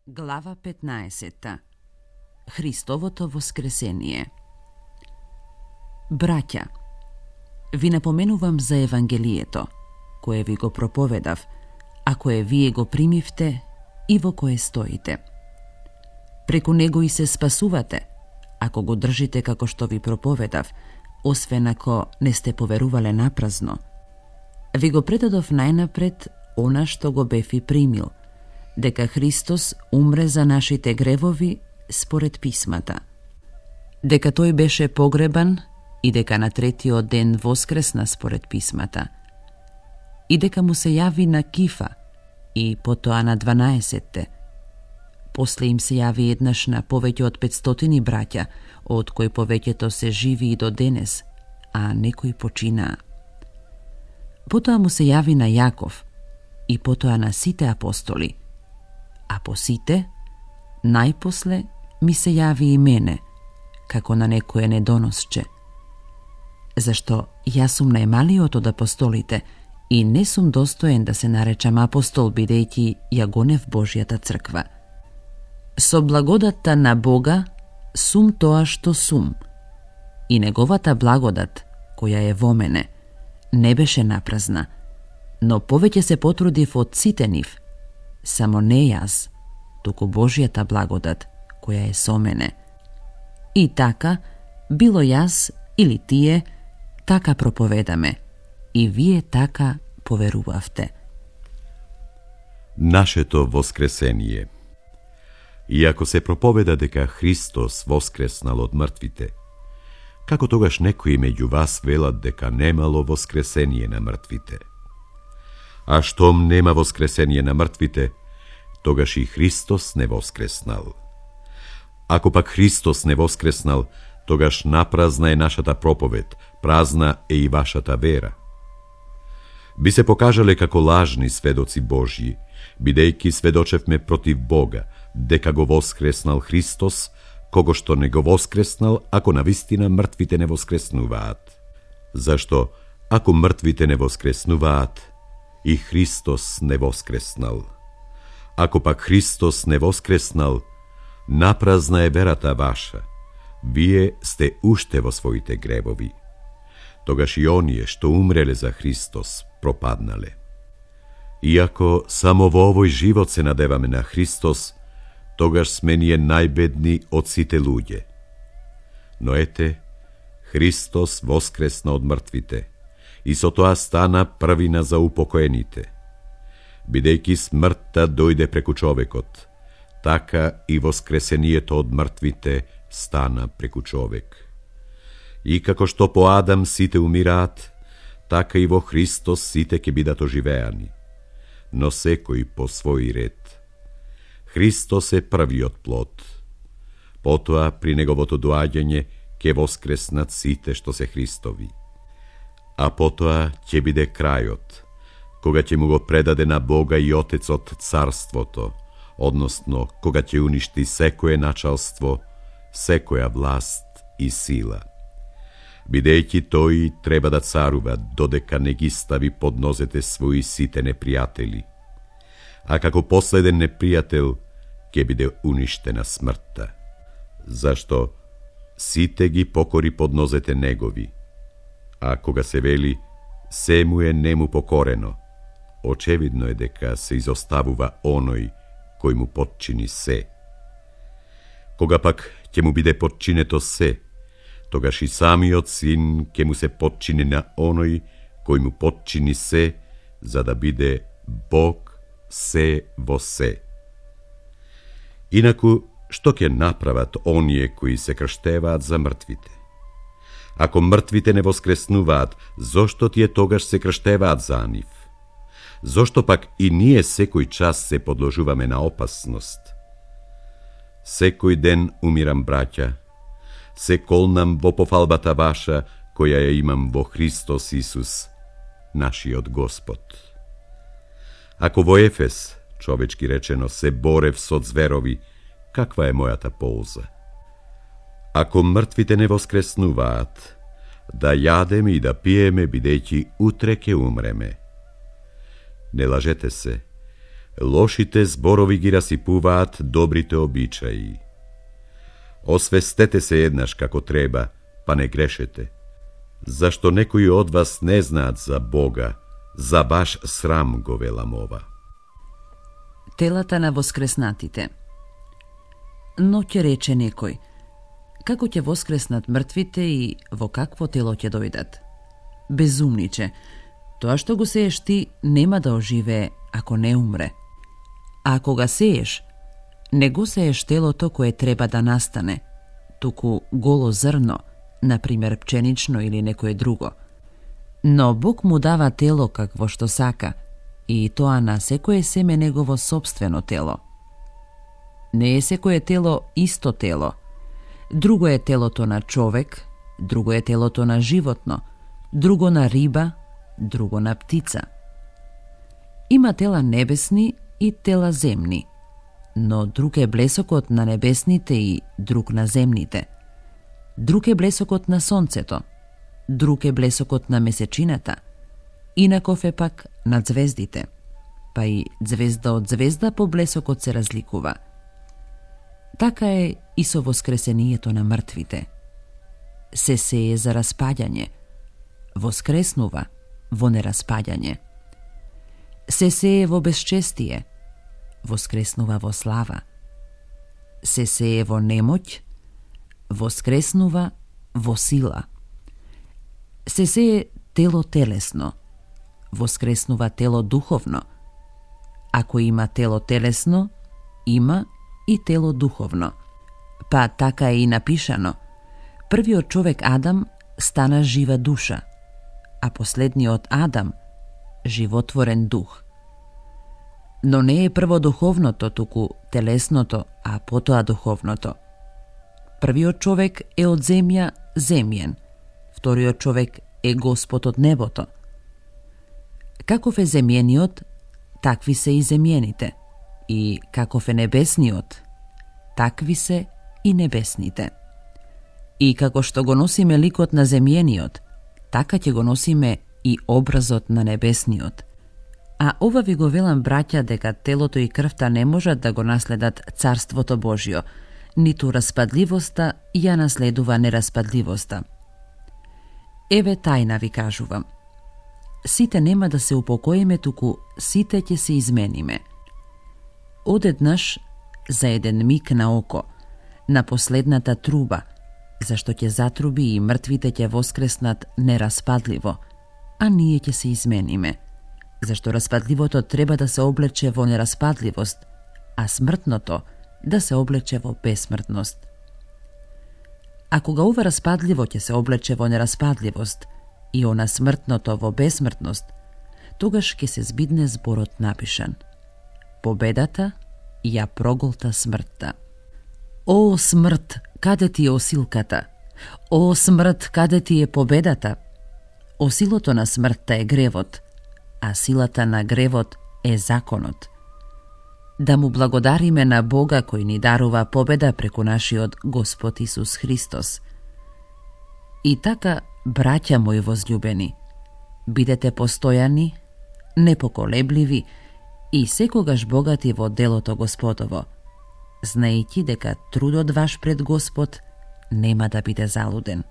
Глава 15. Христовото воскресение. Браќа, ви напоменувам за Евангелието, кое ви го проповедав, а кое вие го примивте и во кое стоите. Преку него и се спасувате, ако го држите како што ви проповедав, освен ако не сте поверувале напразно. Ви го предадов најнапред она што го бев и примил, дека Христос умре за нашите гревови според писмата, дека тој беше погребан и дека на третиот ден воскресна според писмата, и дека му се јави на Кифа и потоа на 12-те. После им се јави еднаш на повеќе од 500 браќа, од кои повеќето се живи и до денес, а некои починаа. Потоа му се јави на Јаков и потоа на сите апостоли, а по сите, најпосле ми се јави и мене, како на некое недоносче. Зашто јас сум најмалиот од апостолите и не сум достоен да се наречам апостол, бидејќи ја гонев Божјата црква. Со благодатта на Бога сум тоа што сум, и неговата благодат, која е во мене, не беше напразна, но повеќе се потрудив од сите нив, само не јас, туку Божјата благодат, која е со мене. И така, било јас или тие, така проповедаме, и вие така поверувавте. Нашето воскресение. Иако се проповеда дека Христос воскреснал од мртвите, како тогаш некои меѓу вас велат дека немало воскресение на мртвите? А штом нема воскресение на мртвите, тогаш и Христос не воскреснал. Ако пак Христос не воскреснал, тогаш напразна е нашата проповед, празна е и вашата вера. Би се покажале како лажни сведоци Божји, бидејќи сведочевме против Бога, дека го воскреснал Христос, кого што не го воскреснал, ако навистина мртвите не воскреснуваат. Зашто, ако мртвите не воскреснуваат, и Христос не воскреснал. Ако пак Христос не воскреснал, напразна е верата ваша, вие сте уште во своите гревови. Тогаш и оние што умреле за Христос пропаднале. Иако само во овој живот се надеваме на Христос, тогаш сме ние најбедни од сите луѓе. Но ете, Христос воскресна од мртвите и со тоа стана првина за упокоените. Бидејќи смртта дојде преку човекот, така и воскресението од мртвите стана преку човек. И како што по Адам сите умираат, така и во Христос сите ќе бидат оживеани, но секој по свој ред. Христос е првиот плод. Потоа, при неговото доаѓање, ќе воскреснат сите што се Христови. А потоа ќе биде крајот, кога ќе му го предаде на Бога и Отецот царството, односно кога ќе уништи секое началство, секоја власт и сила. Бидејќи тој треба да царува додека не ги стави под нозете своји сите непријатели, а како последен непријател ќе биде уништена смртта. Зашто сите ги покори под нозете негови, а кога се вели се му е нему покорено, очевидно е дека се изоставува оној кој му подчини се. Кога пак ќе му биде подчинето се, тогаш и самиот син ќе му се подчини на оној кој му подчини се, за да биде Бог се во се. Инаку, што ќе направат оние кои се крштеваат за мртвите? Ако мртвите не воскреснуваат, зошто тие тогаш се крштеваат за нив? Зошто пак и ние секој час се подложуваме на опасност? Секој ден умирам, браќа, се колнам во пофалбата ваша, која ја имам во Христос Исус, нашиот Господ. Ако во Ефес, човечки речено, се борев со зверови, каква е мојата полза? Ако мртвите не воскреснуваат, да јадеме и да пиеме, бидејќи утре ќе умреме. Не лажете се, Лошите зборови ги расипуваат добрите обичаи. Освестете се еднаш како треба, па не грешете. Зашто некои од вас не знаат за Бога, за баш срам го велам ова. Телата на воскреснатите. Но ќе рече некој, како ќе воскреснат мртвите и во какво тело ќе дојдат? Безумниче, тоа што го сееш ти нема да оживее ако не умре. А ако ga сееш, не го сееш телото кое треба да настане, туку голо зрно, например пченично или некое друго. Но Бог му дава тело какво што сака, и тоа на секое семе негово собствено тело. Не е секое тело исто тело. Друго е телото на човек, друго е телото на животно, друго на риба, друго на птица. Има тела небесни и тела земни, но друг е блесокот на небесните и друг на земните. Друг е блесокот на сонцето, друг е блесокот на месечината, инаков е пак на звездите, па и звезда од звезда по блесокот се разликува. Така е и со воскресението на мртвите. Се сее за распаѓање, воскреснува во нераспаѓање. Се сее во безчестие, воскреснува во слава. Се сее во немоќ, воскреснува во сила. Се сее тело телесно, воскреснува тело духовно. Ако има тело телесно, има и тело духовно. Па така е и напишано. Првиот човек Адам стана жива душа, а последниот Адам животворен дух. Но не е прво духовното, туку телесното, а потоа духовното. Првиот човек е од земја земјен, вториот човек е Господ од небото. Каков е земјениот, такви се и земјените, и каков е небесниот, такви се и небесните. И како што го носиме ликот на земјениот, така ќе го носиме и образот на небесниот. А ова ви го велам, браќа, дека телото и крвта не можат да го наследат Царството Божјо, ниту распадливоста ја наследува нераспадливоста. Еве тајна ви кажувам. Сите нема да се упокоиме, туку сите ќе се измениме. Одеднаш, за еден миг на око, на последната труба, зашто ќе затруби и мртвите ќе воскреснат нераспадливо, а ние ќе се измениме, зашто распадливото треба да се облече во нераспадливост, а смртното да се облече во бесмртност. А кога ова распадливо ќе се облече во нераспадливост и она смртното во бесмртност, тогаш ќе се збидне зборот напишан: победата ја проголта смртта. О, смрт, каде ти е осилката? О, смрт, каде ти е победата? Осилото на смртта е гревот, а силата на гревот е законот. Да му благодариме на Бога кој ни дарува победа преку нашиот Господ Исус Христос. И така, браќа мои возљубени, бидете постојани, непоколебливи и секогаш богати во делото Господово, знаејќи дека трудот ваш пред Господ нема да биде залуден.